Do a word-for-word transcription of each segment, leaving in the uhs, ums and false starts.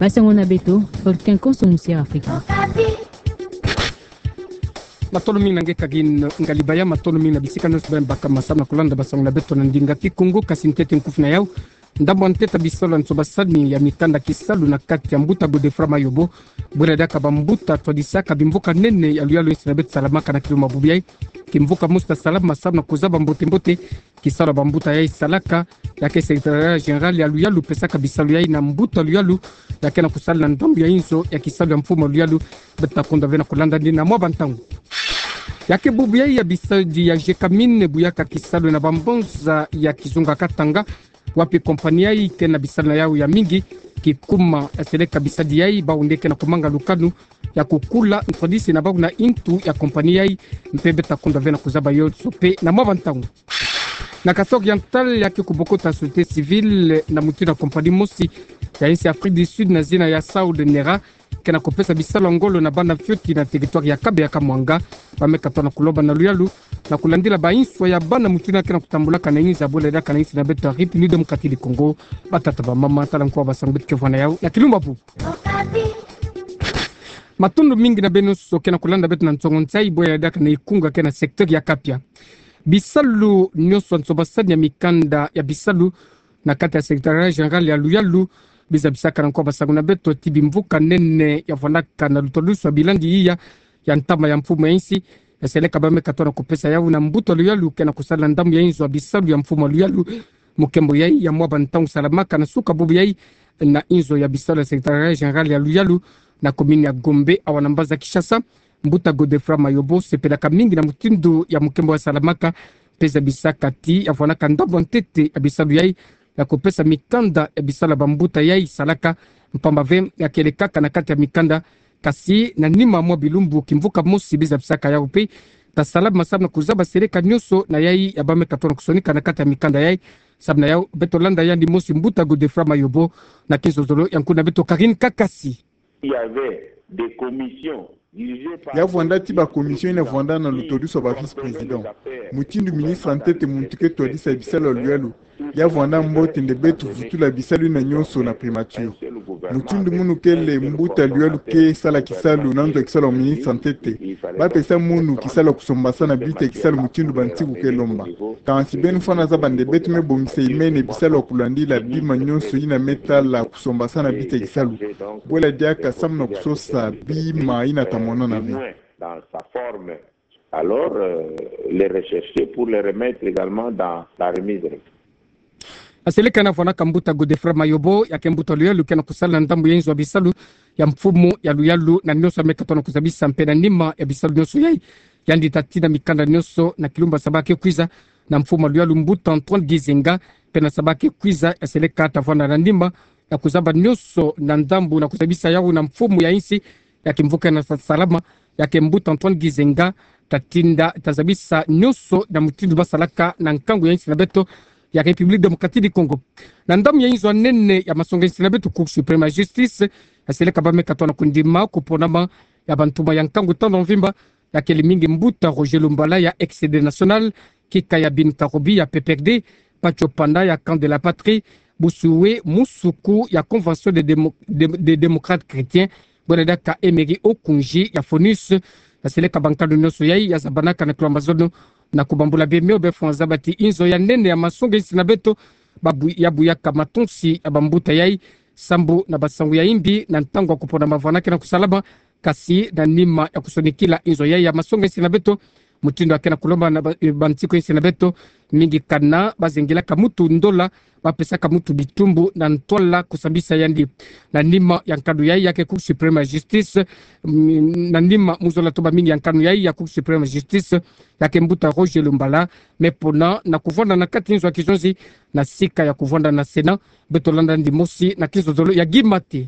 Basango na beto, Volcan Konso Musia Afrika. Matondo mingi na nge kagin ngalibaya, matondo mingi na bisika nyonso beno baka masamu na kulanda basango na beto na ndinga Kikongo. Kasi ntete nkufi na yau, ndambu ya ntete ya bisalu ya nsomba sani ya mikanda kisalu na kati ya mbuta Godefroid Mayobo, bwela diaka bambuta twadisaka bimvuka nene ya luyalu insi na beto salamaka na kilumbu bubu yai. Kimvuka mosi tasalama samu na kuzaba mbote-mbote kisalu ya bambuta yai salaka, ya ke Secrétariat Général ya luyalu pesaka bisalu yai na mbuta luyalu ya ke na kusala na ndambu ya inzo ya kisalu ya mfumu ya luyalu. Beto ta kunda ve na kulanda ndi na mwa bantangu. Ya ke bubu yai ya bisadi ya Gécamines buyaka kisalu na bambonza ya kizunga Katanga, wapi kompani yai ke na bisalu na yau ya mingi. Kikuma ya seleka bisadi yai, bau nde ke na kumanga lukanu ya kukula ntwadisi na bau na intu ya kompani yai. Mpe beto ta kunda ve na kuzaba yonso mpe na mwa bantangu. Na Kasaï Oriental, ya ke kubokota société civile na mutindu ya kompani mosi ya insi Afrique du Sud na zina ya Saud Nera, ke na kupesa bisalu ya ngolo na bana fioti na territoire ya Kabeya Kamwanga. Bameka twa na kulomba na luyalu na kulandila banswa ya bana mutindu ya ke na kutambulaka na inza, bwela diaka na insi na beto ya République Démocratique du Congo. Batata, bamama, tala nkoa basango beto ke vwanda na yau na kilumbu bubu. Matondo mingi na beno nyonso ke na kulanda beto na nsongo nsayi, bwela diaka na ikunga ke na secteur ya Kapia. Bisalu nyonso ya nsomba sani ya mikanda ya bisalu na kati ya Secrétariat Général ya luyalu, biza bisaka na nkoa basango na beto ti bimvuka nene ya vwandaka na lutwadusu ya bilandi iya ya ntama ya mfumu ya insi, ya seleka bameka twa na kupesa yau na mbuta luyalu ke na kusala na ndambu ya inzo ya bisalu ya mfumu ya luyalu. Mukembo yai ya mwa bantangu salamaka na suka bubu yai na inzo ya bisalu ya Secrétariat Général ya luyalu na commune ya Gombe, awa na mbanza Kinshasa. Mbuta Godefroid Mayobo sepelaka mingi na mutindu ya mukembo ya salamaka, mpe zabisaka ti ya vwandaka ndambu ya ntete ya bisalu yai ya kupesa mikanda ya bisalu ya bambuta yai salaka, mpamba ve ya kele kaka na kati ya mikanda. Kasi na nima mwa bilumbu, kimvuka mosi biza bisaka yau mpe tasalama samu na kuzaba seleka nyonso na yai ya bameka twa na kusonika na kati ya mikanda yai. Samu na yau, beto landa yandi mosi mbuta Godefroid Mayobo na kinzonzolo ya nkuna beto Karine Kakasi. Il y avait des commissions dirigées par... Ya vwanda ti ba commission ina vwanda na lutwadusu ya ba vice-président. Mutindu ministre ya ntete, muntu ke twadisa bisalu ya luyalu, ya vwanda mbote nde beto vutula bisalu ina nyonso na primature. Mutindu munu kele mbuta luyalu ke sala kisalu na nzo ya kisalu ya ministre ya ntete, bapesa munu kisalu ya kusombasana bitia kisalu mutindu bansiku ke lomba. Kansi beno fwana zaba nde beto me bongisa imene bisalu ya kulandila bima nyonso ina me tala kusombasana bitia kisalu. Bwela diaka samu na kusosa bima ina ta monana ve. Dans sa forme. Alors, euh, les rechercher pour les remettre également dans la remise. Aseleka na vwandaka mbuta Godefroid Mayobo, ya ke mbuta luyalu ke na kusala na ndambu ya inzo ya bisalu ya mfumu ya luyalu na nyonso ya meka twa na kuzabisa, mpe na nima ya bisalu nyonso yai, yandi tatinda mikanda nyonso na kilumbu ya saba ke kwiza na mfumu ya luyalu mbuta Antoine Gizenga, mpe na saba ke kwiza ya seleka ta vwanda na nima ya kuzaba nyonso na ndambu na kuzabisa yau na mfumu ya insi, ya kimvuka na sa-, salama, ya ke mbuta Antoine Gizenga, tatinda, tazabisa nyonso na mutindu basalaka na nkangu ya insi na beto ya République Démocratique du Congo. Na ndambu ya inzo ya nene ya masonga insi na beto, Cour suprême ya justice, ya seleka bameka twa na kundima kuponama ya bantumwa ya nkangu tando mvimba, ya kele mingi mbuta Roger Lumbala ya Exede National, Kikaya Bin Karubi ya P P R D, Patcho Panda ya Camp de la Patrie, Bossuet Moussoukho ya Convention des Démo-, des, des Démocrates Chrétiens, bwela diaka Emery Okoundji ya FONUS. Ya seleka bankanu nyonso yai ya zabanaka na kilombo ya zono na kubambula bima mio, beno fwana zaba ti inzo ya nene ya masonga insi na beto, babu-, ya buyaka matonsi ya bambuta yai sambu na basangu ya imbi na ntangu ya kuponama vwanda ke na kusalama. Kasi na nima ya kusonikila inzo yai ya masonga insi na beto, mutindu ya ke na kulomba na ba-, eh, bansiku insi na beto, mingi kana bazengilaka mutu ndola, bapesaka mutu bitumbu na ntwala kusambisa yandi. Na nima ya nkanu yai ya ke Cour suprême ya justice, mm, na nima mu zola to bamingi ya nkanu yai ya Cour suprême ya justice, ya ke mbuta Roger Lumbala me pona na kuvwanda na kati inzo ya kizonzi, na sika ya kuvwanda na Sénat. Beto landa yandi mosi na kinzonzolo ya Guy Maté.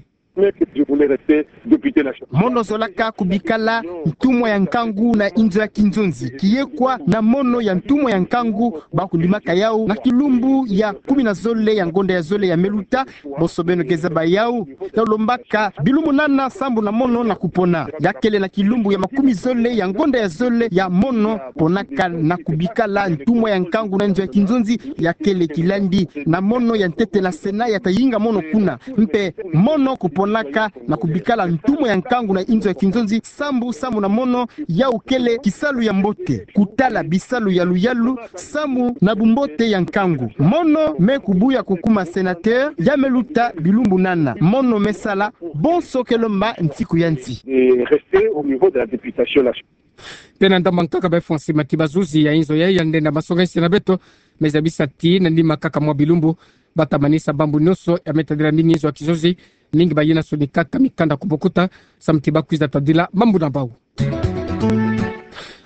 Mono zolaka kubikala ntumwa ya nkangu na inzo ya kinzonzi. Kiyekwa na mono ya ntumwa ya nkangu, bakundimaka yau na kilumbu ya kumi na zole ya ngonda ya zole ya me luta. Bonso beno ke zaba yau, yau lombaka bilumbu nana sambu na mono na kupona. Ya kele na kilumbu ya makumi zole ya ngonda ya zole ya mono ponaka na kubikala ntumwa ya nkangu na inzo ya kinzonzi, ya kele kilandi na mono ya ntete na Sénat ya tayinga mono kuna. Mpe mono kupo- fwanaka na kubikala ntumwa ya nkangu na inzo ya kinzonzi, sambu samu na mono yau kele kisalu ya mbote. Kutala bisalu ya luyalu samu na bumbote ya nkangu. Mono me kubuya kukuma sénateur, ya me luta bilumbu nana. Mono me sala bonso ke lomba nsiku ya nsi. De rester au niveau de la députation nationale. Mpe na ndambu nkaka ba Francis Mati, bazuzi ya inzo ya, ya nde na masonga ese na beto, me zabisa ti na nima kaka mwa bilumbu, bata manisa bambu nionso ya me tadila mingi inzo ya kizuzi, mingi bayinasoni kaka mikanda ku bokuta, samu ti bakwiza tadila mambu na bau.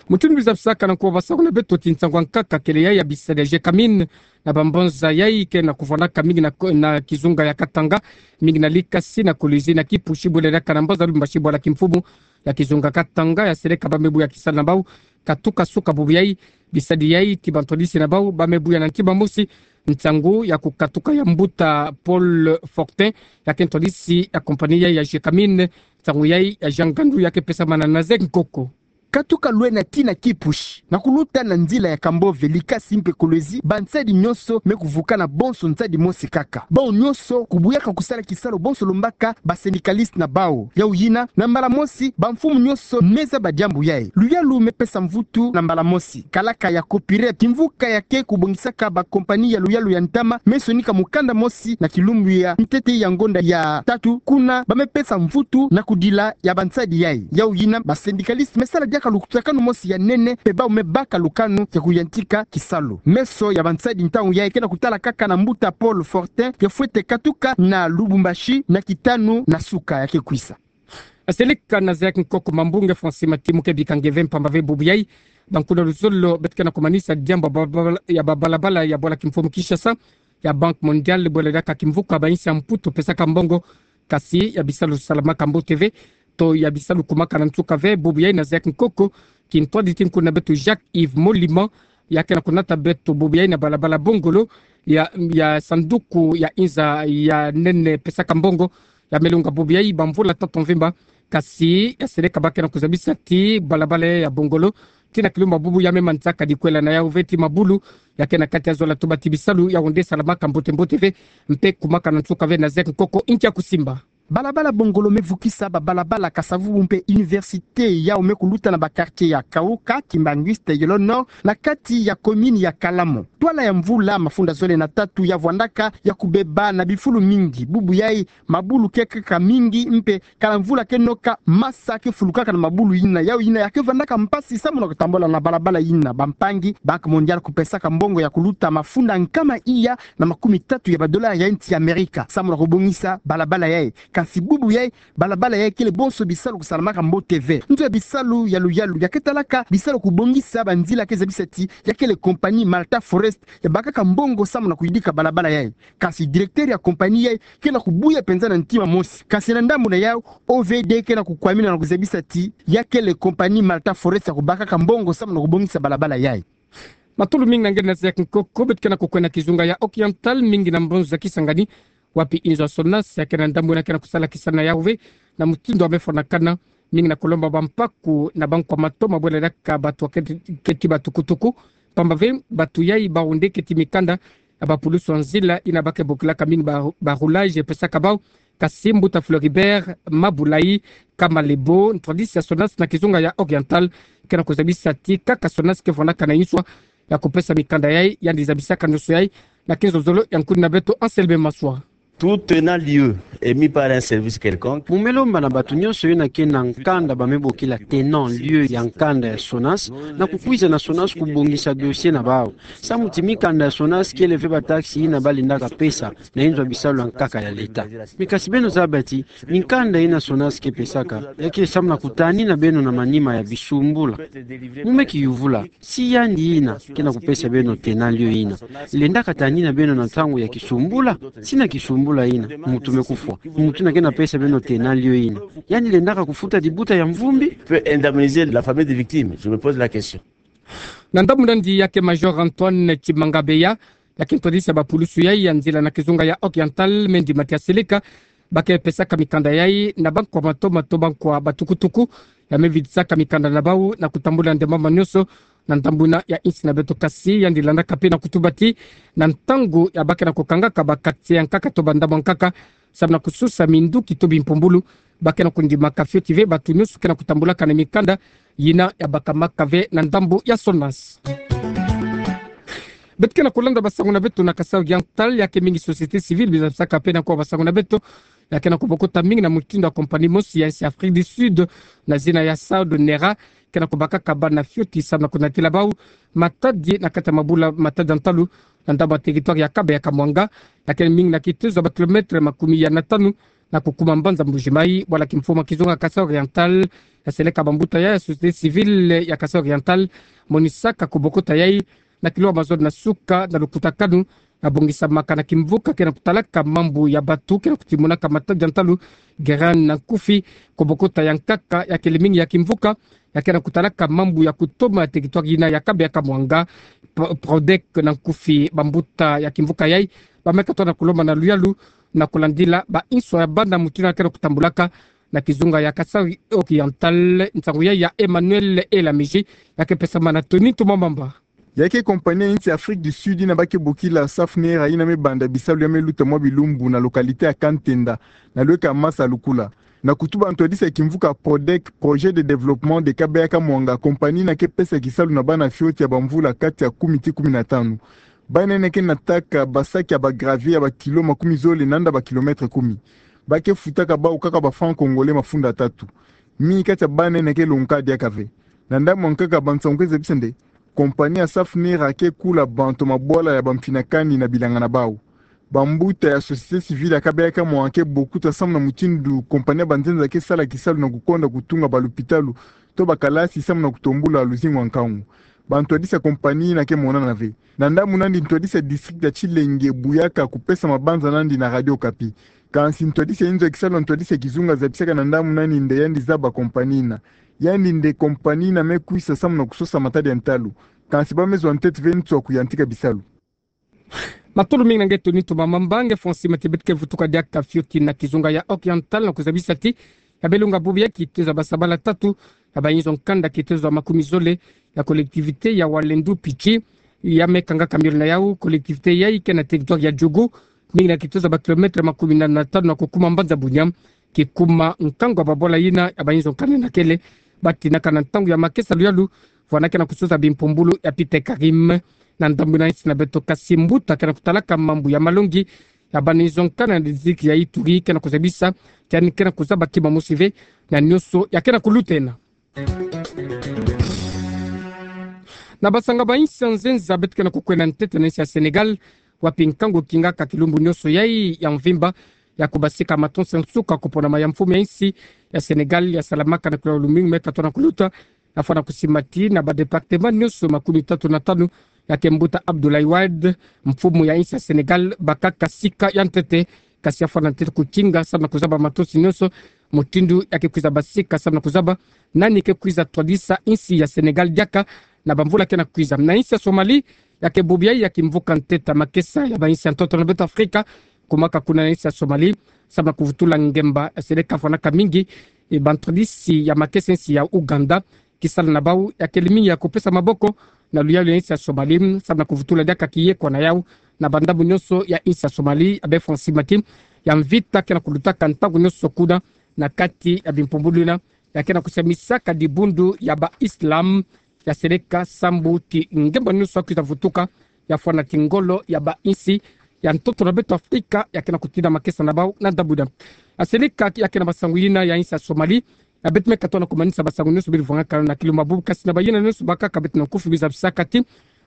Mutindu zabisaka na nkuwa basako na beto ti nsangu nkaka kele ya, ya bisadi ya Gécamines na bambanza yayi ke na kuvwanaka mingi na ko-, na kizunga ya Katanga, mingi na Likasi, na Kolwezi, na Kipushi, bwela diaka na mbanza Lubumbashi, bwala kimfumu ya kizunga Katanga, ya seleka ba me buya kisalu na bau, katuka suka bubu yayi, bisadi yayi ti bantwadisi na bau ba me buya na ntima mosi, nsangu ya kukatuka ya mbuta Paul Fortin, ya ke ntwadisi ya compagnie yayi ya Gécamines, nsangu yayi ya Jean Ngandu ya ke pesamana na Zek Nkoko. Katuka lwena ti na Kipushi, na kuluta na nzila ya Kambove, Likasi mpe Kolwezi, bansadi nionso me kuvukana bonso nsadi mosi kaka. Bau nionso kubuyaka kusala kisalu bonso lombaka ba syndicalistes na bau. Yau yina, na mbala mosi, bamfumu nionso me zaba diambu yayi. Luyalu me pesa mvutu na mbala mosi. Kalaka ya Copirep, kimvuka ya ke kubongisaka ba compagnie ya luyalu ya ntama, me sonika mukanda mosi na kilumbu ya ntete ya ngonda ya tatu, kuna ba me pesa mvutu na kudila ya bansadi yayi. Yau yina, ba syndicalistes me sala diaka lukutakanu mosi ya nene, mpe bau me baka lukanu ya kuyantika kisalu. Meso ya bansadi ntangu yayi ke na kutala kaka na mbuta Paul Fortin, ya fwete katuka na Lubumbashi na kitanu na suka ya ke kwisa. Aselika na Zek Nkoko, mambu nge Francis Mati mu ke bika nge ve, mpamba ve bubu yayi, bankuna luzolo beto ke na kumanisa diambu ya babala-, ya babalabala ya bwala kimfumu Kinshasa, ya Banque Mondiale, bwela diaka kimvuka ba insi ya Mputu pesaka mbongo, kasi ya bisalu salamaka mbote ve, to ya bisalu kumaka na nsuka ve. Bubu yayi na Zek Nkoko, kintwadi ti nkuna beto Jacques Yves Molima, ya ke na kunata beto bubu yayi na balabala Bongolo, ya, ya sanduku ya inza ya nene pesaka mbongo, ya me lunga bubu yayi bamvula tatu mvimba, kasi ya seleka ba ke na kuzabisa ti balabala ya Bongolo ti na kilumbu bubu ya me manzaka dikwela na yau ve ti mabulu, ya ke na kati ya zola tuba ti bisalu yau nde salamaka mbote mbote ve, mpe kumaka na nsuka ve. Na Zek Nkoko, nki ya kusimba. Balabala Bongolo me vukisa babalabala Kasa-Vubu mpe université yau me kuluta na ba quartier ya Kauka, Kimbanguiste, Yolo Nord, na kati ya commune ya Kalamu. Twala ya mvula mafunda zole na tatu ya vwandaka ya kubeba na bifulu mingi. Bubu yayi mabulu ke kaka mingi, mpe kala mvula ke noka, masa ke fulukaka na mabulu yina. Yau yina ya ke vandaka mpasi samu na kutambula na balabala yina. Bampangi, Banque Mondiale kupesaka mbongo ya kuluta mafunda nkama iya na makumi tatu ya ba dollars ya insi ya Amerika samu na kubongisa balabala yayi. Kasi bubu yayi, balabala yayi kele bonso bisalu kusalamaka mbote ve. Nzo ya bisalu ya luyalu ya ke talaka bisalu kubongisa banzila ke zabisa ti ya kele compagnie Malta Forest ya bakaka mbongo samu na kuyidika balabala yayi. Kasi directeur ya compagnie yayi ke na kubuya penza na ntima mosi. Kasi na ndambu na yau, O V D ke na kukwamina na kuzabisa ti ya kele compagnie Malta Forest ya kubakaka mbongo samu na kubongisa balabala yayi. Matulu mingi na nge na Zek Nkoko. Beto ke na kukwenda kizunga ya Oriental, mingi na mbanza Kisangani, wapi inzo ya Sonas ya ke na ndambu na ke na kusala kisana yau ve, na mutindu ya me fwanakana, mingi na kulomba bampaku na bankwa matoma bwela diaka batu ya keti, keti batukutuku, mpamba ve batu yayi bau nde keti mikanda ya bapulusu ya nzila yina ba ke bokilaka mingi ba, ba rouage pesaka bau. Kasi mbuta Floribert Mabulayi Kamalebo, ntwadisi ya Sonas na kizunga ya Oriental, ke na kuzabisa ti kaka Sonas ke fwanaka na inswa ya kupesa mikanda yayi, yandi zabisaka ndoso yayi na kinzonzolo ya nkuni na beto Anselme Maswa. Tout tenant lieu émis par un service quelconque. Mu me lomba na batu nionso yina ke na nkanda ba me bokila tenant lieu ya nkanda ya Sonas, na kukwiza na Sonas kubongisa dossier na bau. Samu ti mikanda ya Sonas kele ve ba taxe yina ba lendaka pesa na inzo ya bisalu ya nkaka ya leta. Mais kasi beno zaba ti mikanda yina Sonas ke pesaka, ya ke samu na kutanina beno na manima ya bisumbula. Mu me kiyuvula, si yandi yina ke na kupesa beno tenant lieu yina lendaka tanina beno na ntangu ya kisumbula? Si na kisumbula yina, mutu me kufwa. Mutu yina ke na pesa beno tenant lieu yina, yandi lendaka kufuta dibuta ya mvumbi? Peut indemniser la famille des victimes, je me pose la question. Na ndambu nandi ya ke Major Antoine Tshimanga Bemba, ya ke ntwadisi ya bapulusu yayi ya nzila na kizunga ya Oriental, me ndima ti ya seleka ba ke pesaka mikanda yayi na bankwa matoma to bankwa batukutuku ya me vidisaka mikanda na bau na kutambula nde mama nionso na ndambu ina ya insi na beto. Kasi yandi landaka mpe na kutuba ti na ntangu ya ba ke na kukangaka ba quartier ya nkaka to ba ndambu ya nkaka, samu na kususa minduki to bimpumbulu, ba ke na kundimaka fioti ve bato nyonso ke na kutambulaka na mikanda yina ya bakamaka ve na ndambu ya SONAS. Beto ke na kulanda basango na beto na Kasaï Oriental, ya ke mingi société civile bizabisaka mpe na kuwa basango na beto, ya ke na kubokota mingi na mutindu ya compagnie mosi ya insi Afrique du Sud, na zina ya Saud Nera, ke na kubakaka bana fioti samu na kunatila bau matadi na kati ya mabula matadi ya ntalu, na ndambu ya territoire ya Kaba ya Kamwanga, ya ke mingi na kitezo ya ba kilomètre makumi ya na tanu na kukuma mbanza Mbuji-Mayi. Bwala kimfumu ya kizunga Kasaï Oriental, ya seleka bambuta ya société civile ya Kasaï Oriental, monisaka kubokota yai na kiloa mazono na suka na lukutakanu na bongisamaka na kimvuka ke na kutalaka mambu ya bato ke na kutimonaka matadi ya ntalu, Geran Nankufi, kubokota ya nkaka ya ke le mingi ya kimvuka ya ke na kutalaka mambu ya kutoma territoire yina ya Kaba ya Kamwanga. Pro-, Prodec Nankufi, bambuta ya kimvuka yai ba me katoa na kulomba na luyalu na kulandila ba inso ya bana mutindu ya ke na kutambulaka na kizunga ya Kasaï Oriental. Nsangu yai ya Emmanuel Elamiji, ya ke pesama na Tony Tumamamba. Ya ke compagnie ya insi Afrique du Sud yina ba ke bokila Safnera yina me banda bisalu ya me luta mwa bilumbu na localité ya Kantenda, na lweka Masa Lukula. Na kutuba ntwadisi ya kimvuka Prodec, Projet de Développement de Kaba ya Kamwanga, compagnie yina ke pesa kisalu na bana fioti ya bamvula kati ya kumi tii kumi na tanu. Bana yina ke nataka ba sac ya ba gravier ya ba kilo makumi zole nanda ba kilomètre kumi. Ba ke futaka bau kaka ba francs congolais mafunda tatu. Mingi kati ya bana yina ke longoka diaka ve. Na ndambu ya nkaka, bansangu ke zabisa nde compagnie ya Safnera ke kula bantu mabwala ya bamfinakani na bilanga na bau. Bambuta ya société civile ya Kaba ya Kamwanga ke bokuta samu na mutindu compagnie ya banzenza ke sala kisalu na kukonda kutunga balupitalu to bakalasi samu na kutombula luzingu ya nkangu. Bantwadisi ya compagnie yina ke monana ve. Na ndambu nandi ntwadisi ya district ya Tshilenge buyaka kupesa mabanza nandi na Radio Okapi. Kansi ntwadisi ya inzo ya kisalu na ntwadisi ya kizunga zabisaka na ndambu nandi nde yandi zaba compagnie yina. Yandi nde compagnie yina me kwisa samu na kusosa matadi ya ntalu. Kansi ba me zwa ntete ve ntu ya kuyantika bisalu. Matolo mingi na nge Tony Tumamamba. Nge Francis Matebet, ke vutuka diaka fioti na kizunga ya Oriental na kuzabisa ti ya belunga bubu ya kitezo ya basabala tatu ya ba inzo nkanda, kitezo ya makumi zole ya collectivité ya Walendu Pitshi ya me kangaka miole na yau. Collectivité yai ke na territoire ya Djougou, mingi na kitezo ya ba kilomètre makumi nana na tanu na kukuma mbanza Bunia. Kikuma nkangu ya babwala yina ya ba inzo nkanda na kele, ba tinaka na ntangu ya makesa luyalu, vwanda ke na kususa bimpumbulu ya Peter Karim na ndambu ina insi na beto. Kasi mbuta ke na kutalaka mambu ya malongi ya bana inzo nkanda na district ya Ituri ke na kuzabisa ti yandi ke na kuzaba kima mosi ve na nyonso ya ke na kulutena. Na basanga ba insi ya nzenza, beto ke na kukwenda ntete na insi ya Sénégal, wapi nkangu kingaka kilumbu nyonso yai ya mvimba ya kubasika matonsi ya nsuka kuponama ya mfumu ya insi ya Sénégal ya salamaka na kiloa lumingu me katoa na kuluta, ya fwana kusimati na ba département nyonso makumi tatu na tanu ya ke mbuta Abdoulaye Wade, mfumu ya insi ya Sénégal, bakaka sika ya ntete. Kasi ya fwana ntete kukinga samu na kuzaba matonsi nyonso mutindu ya ke kwiza basika samu na kuzaba nani ke kwiza twadisa insi ya Sénégal diaka na bamvula ke na kwiza. Na insi ya Somalie, ya ke bubu yai ya kimvuka ntete ya makesa ya ba insi ya ntoto na beto Afrika, kumaka kuna na insi ya Somalie samu na kuvutula ngemba ya seleka fwanaka mingi, e, bantwadisi ya makesa insi ya Ouganda, kisala na bau ya ke le mingi ya kupesa maboko na luyalu ya insi ya Somalie samu na kuvutula diaka kiyekwa na yau na bandambu nyonso ya insi ya Somalie. Ya be Francis Mati, ya mvita ke na kulutaka ntangu nyonso kuna na kati ya bimpumbulu yina ya ke na kusamisaka dibundu ya ba Islam ya seleka sambu ti ngemba nyonso ya kwiza vutuka, ya fwana ti ngolo ya ba insi ya ntoto na beto Afrika ya ke na kutina makesa na bau na ndambu yina. Ya seleka ya ke na masangu yina ya insi ya Somalie, ya beto me katoa na kumanisa basangu nyonso beri vwangaka na kilumbu bubu, kasi na bayina nyonso bakaka beto na nkufi, bizabisaka ti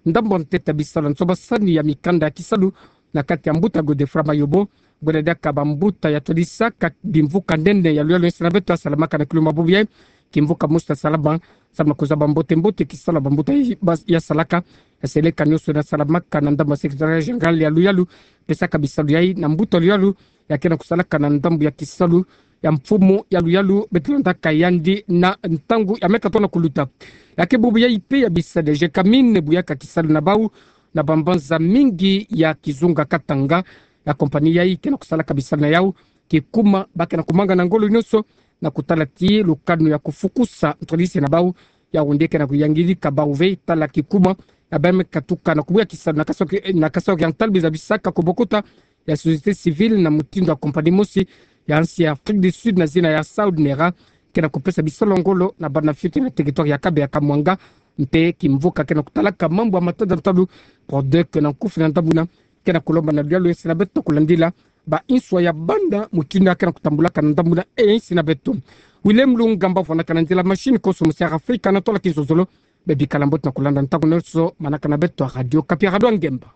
ndambu ntete ya bisalu ya nsobasani ya mikanda ya kisalu na kati ya mbuta Godefroid Mayobo, bwela diaka bambuta ya twadisaka bimvuka nene ya luyalu ya insi na beto ya salamaka na kilumbu bubu yai, kimvuka mosi ya salama samu na kuzaba mbote mbote kisalu ya bambuta ya, ya salaka. Ya seleka nyonso na salamaka na ndambu ya secrétariat général ya luyalu, pesaka bisalu yai na mbuta luyalu ya ke na kusalaka na ndambu ya kisalu ya mfumu ya luyalu, beto landaka yandi na ntangu ya me katoa na kuluta. Ya ke bubu yai mpe ya bisalu ya Gécamines buyaka kisalu na bau na bambanza mingi ya kizunga Katanga. Ya compagnie yai ke na kusalaka bisalu na yau, kikuma ba ke na kumanga na ngolo nyonso na kutala ti lukanu ya kufukusa ntwadisi na bau Yaoundé ke na kuyangirika bauve tala kikuma ya bame katuka na kubwa kisalu na kaso ki-, na kaso kia ntalo biza bisaka ko bokota ya société civile na mutindu ya compagnie mosi ya nsi ya Afrique du Sud na zina ya Saud Nera, ke na kupesa bisalu ngolo na bana fioti na territoire ya Kabeya Kamwanga, mpe kimvuka ke na kutalaka mambu ya matada ntalu, Prodec na nkufi na ndambu na, ke na kulomba na luyalu ya nsi na beto kulandila ba inswa ya banda mutindu ya ke na kutambulaka na ndambu na e nsi na beto. Willem Lungamba fwana kana nzila machine koso musi ya Afrika na tola kinzozolo, be bikala mbote na kulanda ntangu nyonso manaka na beto ya Radio Okapi, Radio Ngemba.